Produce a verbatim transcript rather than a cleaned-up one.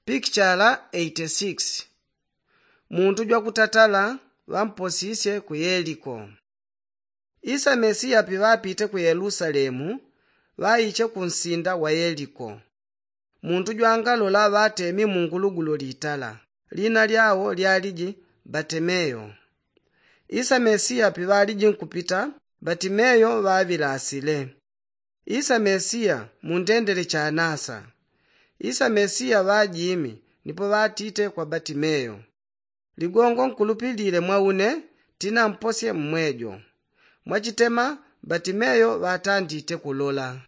Pikichala eighty six. Muntu jwakutatala ŵamposisye ku yeliko. Isa mesiya piŵapite ku yelusalemu, ŵaiche kunsinda wa yeliko. Muntu jwangalola ŵatemi mungulugulo litala, lina lyao lyaliji batimeyo. Isa mesiya piŵaliji nkupita, batimeyo ŵaŵilasile. Isa mesiya mundendele chanasa. Isa mesiya ŵajimi nipo ŵatite kwa batimeyo, ligongo nkulupilile mwa une, tinamposye mmwejo. Mwachitema batimeyo ŵatandite kulola.